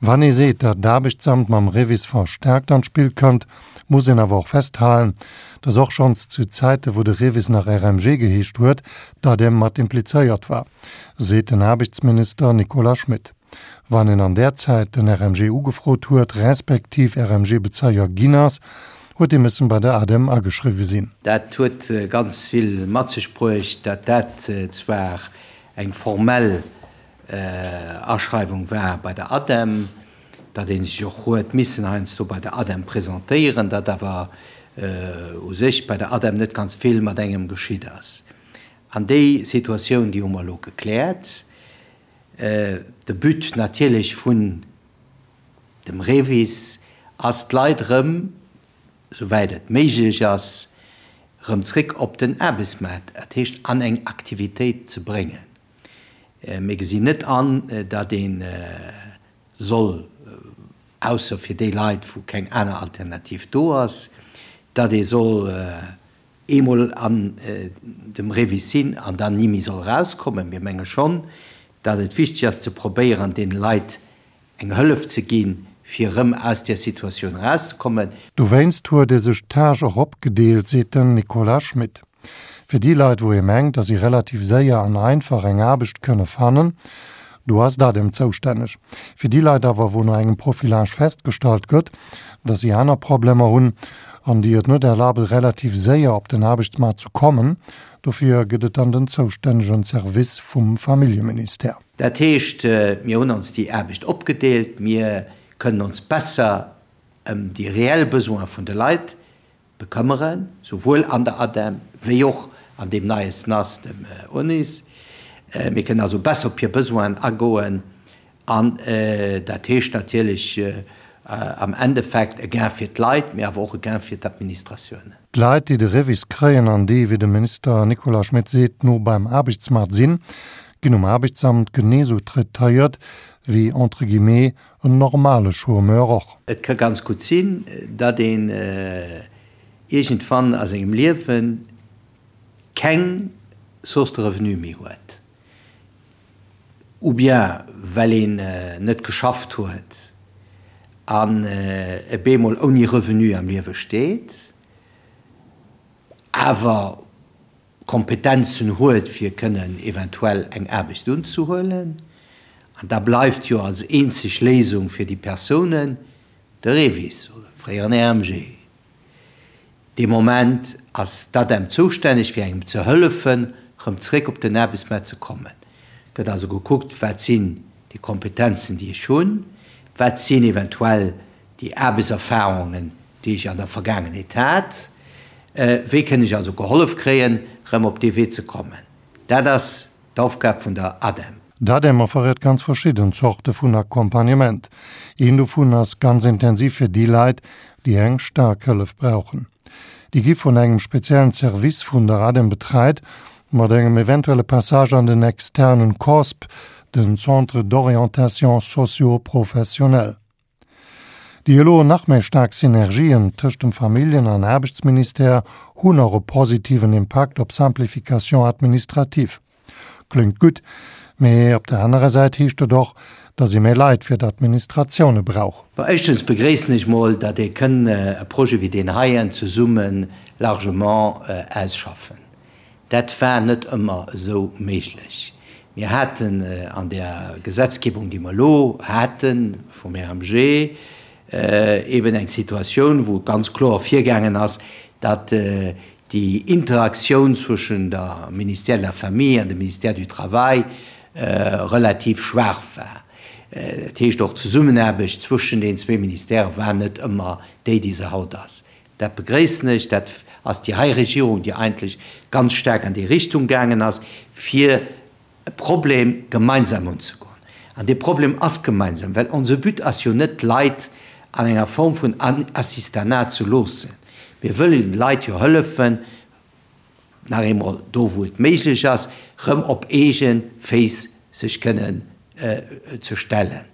Wann ee seet, datt d'Aarbechtsamt mam REVIS verstärkt an d'Spill kënnt, muss een awer och festhalen, datt och schonns zu Zäite wou de REVIS nach RMG geheescht huet, d'ADEM mat implizéiert war, seet den Aarbechtsminister Nicolas Schmit. Wann een an där Zäit den RMG ugefrot huet, respektiv RMG-Bezéier ginn ass, huet ee missen bei der ADEM ageschriwwe sinn. Dat huet ganz vill mat sech bruecht, datt dat zwar eng formell Aschreiwung war bei der ADEM, datt ee sech och huet missen heiansdo bei der ADEM presentéieren, datt awer u sech bei der ADEM net ganz vill mat engem geschitt ass. An déi Situatioun, déi hu mer elo gekläert. De But natierlech vun dem REVIS ass, d'Leit erëm, souwäit et méiglech ass, erëm zréck op den Aarbechtsmaart, dat heescht an eng Aktivitéit ze bréngen. Mir gesinn net an, datt ee soll, ausser fir déi Leit, wou keng aner Alternativ do ass, datt ee soll eemol an dem REVIS sinn an dann ni méi soll erauskommen. Mir menge schonn, datt et wichteg ass ze probéieren, deene Leit eng Hëllef ze ginn, fir erëm aus där Situatioun erauszekommen. Dowéinst huet ee sech d'Tâche och opgedeelt, seet den Nicolas Schmit. Fir déi Leit, wou ee mengt, datt si relativ séier an einfach eng Aarbecht kënne fannen, do ass d'ADEM zoustänneg. Fir déi Leit awer, wou no engem Profilage festgestallt gëtt, datt si aner Problemer hunn an déi et net erlabe relativ séier op den Aarbechtsmaart ze kommen, dofir gëtt et dann den zoustännegen Service vum Familljeministère. Dat heescht, mir hunn ons déi Aarbecht opgedeelt, mir kënnen ons besser ëm déi reell Besoine vun de Leit bekëmmeren, souwuel an der ADEM wéi och an deem neie SNAS, dem ONIS. Mir kënnen also besser op hir Besoinen agoen an dat heescht natierlech am Endeffekt e Gain fir d'Leit, mee awer och e Gain fir d'Administratiounen. D'Leit, déi de REVIS kréien an déi, wéi de Minister Nicolas Schmit seet, no beim Aarbechtsmaart sinn, ginn um Aarbechtsamt genee sou traitéiert wéi, entre guillemets, en normale Chômeur och. Et ka ganz gutt sinn, datt een iergendwann a sengem Liewe keng Source de revenu méi huet, ou bien well een net geschafft huet an e bemol ouni Revenu am Liewe steet, awer Kompetenzen huet fir kënnen eventuell eng Aarbecht unzehuelen. An da bleift jo als eenzeg Léisung fir déi Persounen de REVIS oder fréieren RMG. Dee Moment ass d'ADEM zoustänneg fir engem ze hëllefen rëm zréck op den Aarbechtsmaart ze kommen. Gëtt also gekuckt, wat sinn déi Kompetenzen déi ech hunn, wat sinn eventuell déi Aarbechtserfahrungen déi ech an der Vergaangenheet hat, wéi kënn ech also gehollef kréien rëm op dee Wee ze kommen. Dat ass d'Aufgab vun der ADEM. D'ADEM offeriert ganz verschidden Zorte vun Accompagnement. Een dovun ass ganz intensiv fir déi Leit, déi eng staark Hëllef brauchen. Déi gi vun engem speziellen Service vun der ADEM betreit, mat engem eventuelle Passage an den externen COSP, den Centre d'orientation socio-professionnelle. Déi elo nach méi staark Synergien tëscht dem Familljen an Aarbechtsministère hunn och e positiven Impakt op Simplification administrative. Kléngt gutt, mee op der anerer Säit heescht et och, datt ee méi Leit fir d'Administratioune brauch. Bon, éischtens begréissen ech mol, datt ee kënn e Projet wéi deen heien zesumme largement ausschaffen. Dat war net ëmmer esou méiglech. Mir haten an där Gesetzgebung, déi mer elo hate vum RMG, eben eng Situatioun, wou ganz kloer virgaangen ass, datt déi Interaktioun zwëschen der Ministère de la Famille an dem Ministère du Travail relativ schwaach war. Dat heescht, och d'Zesummenaarbecht zwëschen den zwee Ministèrë war net ëmmer déi, déi se haut ass. Dat begréissen ech. Dat ass déi hei Regierung, déi eigentlech ganz staark an déi Richtung gaangen ass, fir e Problem gemeinsam unzegoen. An dee Problem ass gemeinsam, well onse But ass jo net, d'Leit an enger Form vun Assistanat ze loossen. Mir wëllen de Leit jo hëllefen, nach eemol, do wou et méiglech ass, rëm op eege Féiss sech kënnen ze stellen.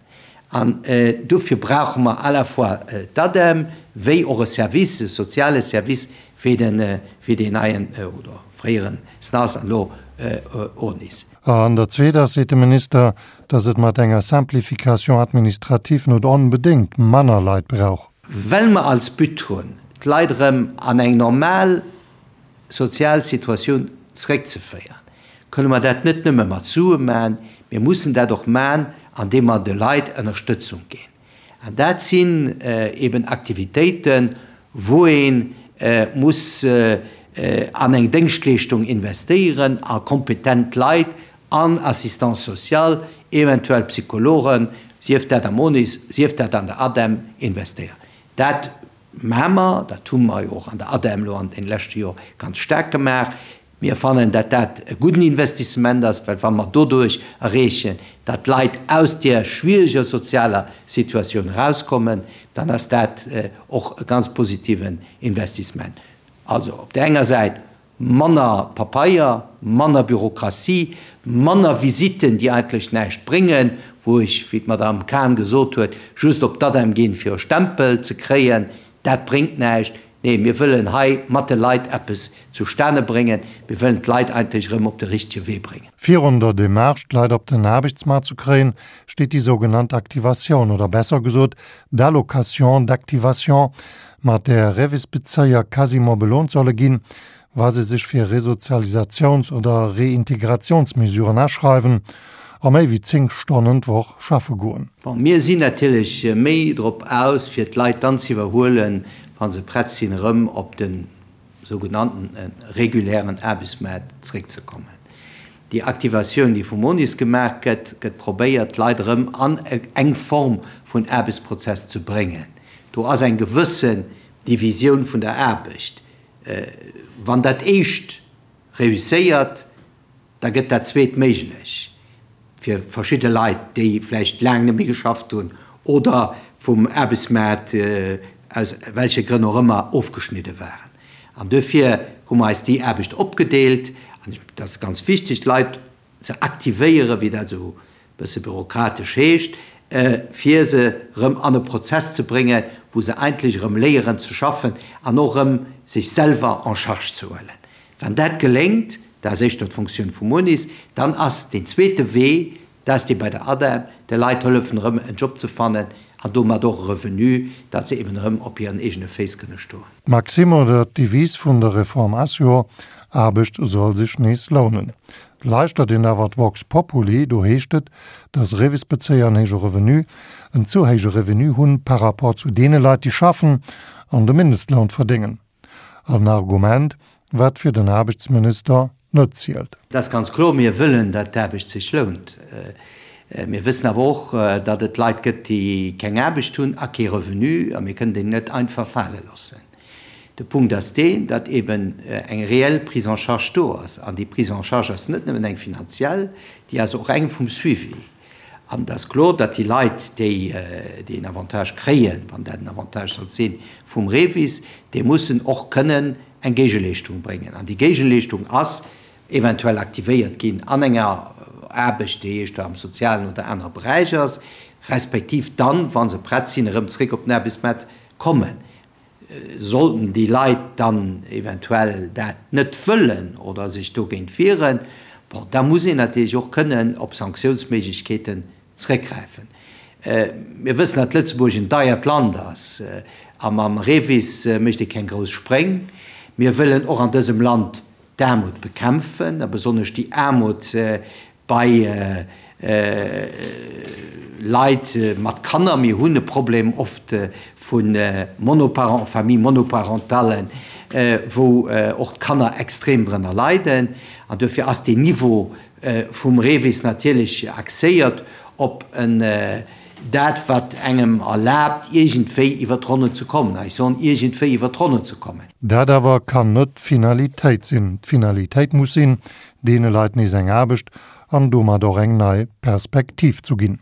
An dofir brauche mer à la fois d'ADEM wéi och e Service, e soziale Service wéi den, wéi deen neien oder fréieren SNAS an elo. ONIS. An dat Zweet ass, seet de Minister, datt et mat enger Simplification administrative net onbedéngt manner Leit brauch. Well mer als But hunn, d'Leit erëm an eng normal sozial Situatioun zeréckzeféieren, kënne mer dat net nëmme mat Sue maachen, mir mussen dat och maachen, andeem mer de Leit Ënnerstëtzung ginn. An dat sinn eben Aktivitéiten, wou ee muss an eng Déngschtleeschtung investéieren, a kompetent Leit, an Assistance sociale, eventuell Psychologen, sief dat am ONIS, sief dat an der ADEM, investéieren. Dat maache mer, dat hu mer jo och an der ADEM elo an deene leschte Jore ganz staark gemaach. Mir fannen, datt dat e gudden Investissement ass, well wa mer doduerch erreechen, datt d'Leit aus där schwiereger sozialer Situatioun erauskommen, dann ass dat och e ganz positiven Investissement. Also op där enger Säit manner Papeier, manner Bürokratie, manner Visitten, déi eigentlech näischt bréngen, wou ech, wéi d'Madame Cahen gesot huet, just op d'ADEM ginn, fir e Stempel ze kréien, dat bréngt näischt. Nee, mir wëllen hei mat de Leit eppes zustane bréngen. Mir wëllen d'Leit eigentlech erëm op de richtege Wee bréngen. Virun der Demarche, d'Leit op den Aarbechtsmaart ze kréien, steet déi sougenannt Aktivatioun, oder besser gesot d'Allocation d'activation, mat där Revis-Bezéier quasiment belount solle ginn, wa se sech fir Resozialisatiouns oder Reintegratiounsmesuren aschreiwen a méi wéi 10 Stonnen d'Woch schaffe goen. Bon, mir sinn natierlech méi drop aus, fir d'Leit dann ze iwwerhuelen, wa se prett sinn, erëm op de sougenannten regulären Aarbechtsmaart zréckzekommen. Déi Aktivatioun, déi vum ONIS gemaach gëtt, gëtt probéiert, d'Leit erëm an eng Form vun Aarbechtsprozess ze bréngen. Do ass eng gewëssen Divisioun vun der Aarbecht. Wann dat éischt reusséiert, da gëtt dat zweet méiglech fir verschidde Leit, déi vläicht laang net méi geschafft hunn oder vum Aarbechtsmaart aus welche Grënn och ëmmer ofgeschnidde waren. An duerfir hu mer eis déi Aarbecht opgedeelt. An et ass ganz wichteg, d'Leit ze aktivéieren, wéi dat esou e bësse bürokratesch heescht, fir se erëm an e Prozess ze bréngen, wou se eigentlech erëm léieren ze schaffen an och erëm sech selwer en charge ze huelen. Wann dat geléngt, dat ass éischter d'Funktioun vum UNIS, dann ass deen zweete Wee, dat ass dee bei der ADEM, de Leit hëllefen erëm en Job ze fannen an domat och e Revenu, datt se eben erëm op hiren eegene Féiss kënne stoen. D'Maxime oder d'Devise vun der Reform ass jo, Aarbecht soll sech nees lounen. Lauschtert een awer d'Vox Populi, do heescht et, datt Revis-Bezéier en héije Revenu, en ze héije Revenu hunn par rapport zu deene Leit, déi schaffen an de Mindestloun verdéngen. En Argument, wat fir den Aarbechtsminister net zielt. Et ass ganz kloer, mir wëllen, datt d'Aarbecht sech lount. Mir wëssen awer och, datt et Leit gëtt, déi keng Aarbecht hunn a kee Revenu, a mir kënnen déi net einfach fale loossen. De Punkt ass deen, datt eben eng reell Prise en charge do ass. An déi Prise en charge ass net nëmmen eng finanziell, déi ass och eng vum Suivi. An et ass kloer, datt déi Leit, déi deen Avantage kréien, wann dat en Avantage sollt sinn, vum REVIS, déi mussen och kënnen eng Géigeleeschtung bréngen. An déi Géigeleeschtung ass eventuell aktivéiert ginn an enger Aarbecht, déi éischter am sozialen oder anere Beräich ass, respektiv dann, wa se prett sinn, erëm zréck op den Aarbechtsmaart kommen. Sollten déi Leit dann eventuell dat net wëllen oder sech dogéint wieren, bon, da muss een natierlech och kënnen op Sanktiounsméiglechkeeten zréckgräifen. Mir wëssen, datt Lëtzebuerg en deiert Land ass a mam REVIS mécht ee keng grouss Spréng. Mir wëllen och an dësem Land d'Aarmut bekämpfen a besonnesch déi Aarmut bei Leit mat Kanner. Mir hunn e Problem oft vu Monoparent, Familles monoparentales, wou och d'Kanner extrem drënner leiden. An duerfir ass deen Niveau vum REVIS natierlech axéiert op en dat, wat engem erlaabt, iergendwéi iwwer d'Ronnen ze kommen. A ech soen, iergendwéi iwwer d'Ronnen ze kommen. Dat awer kann net d'Finalitéit sinn. D'Finalitéit muss sinn, deene Leit nees eng Aarbecht an domat och eng nei Perspektiv zu ginn.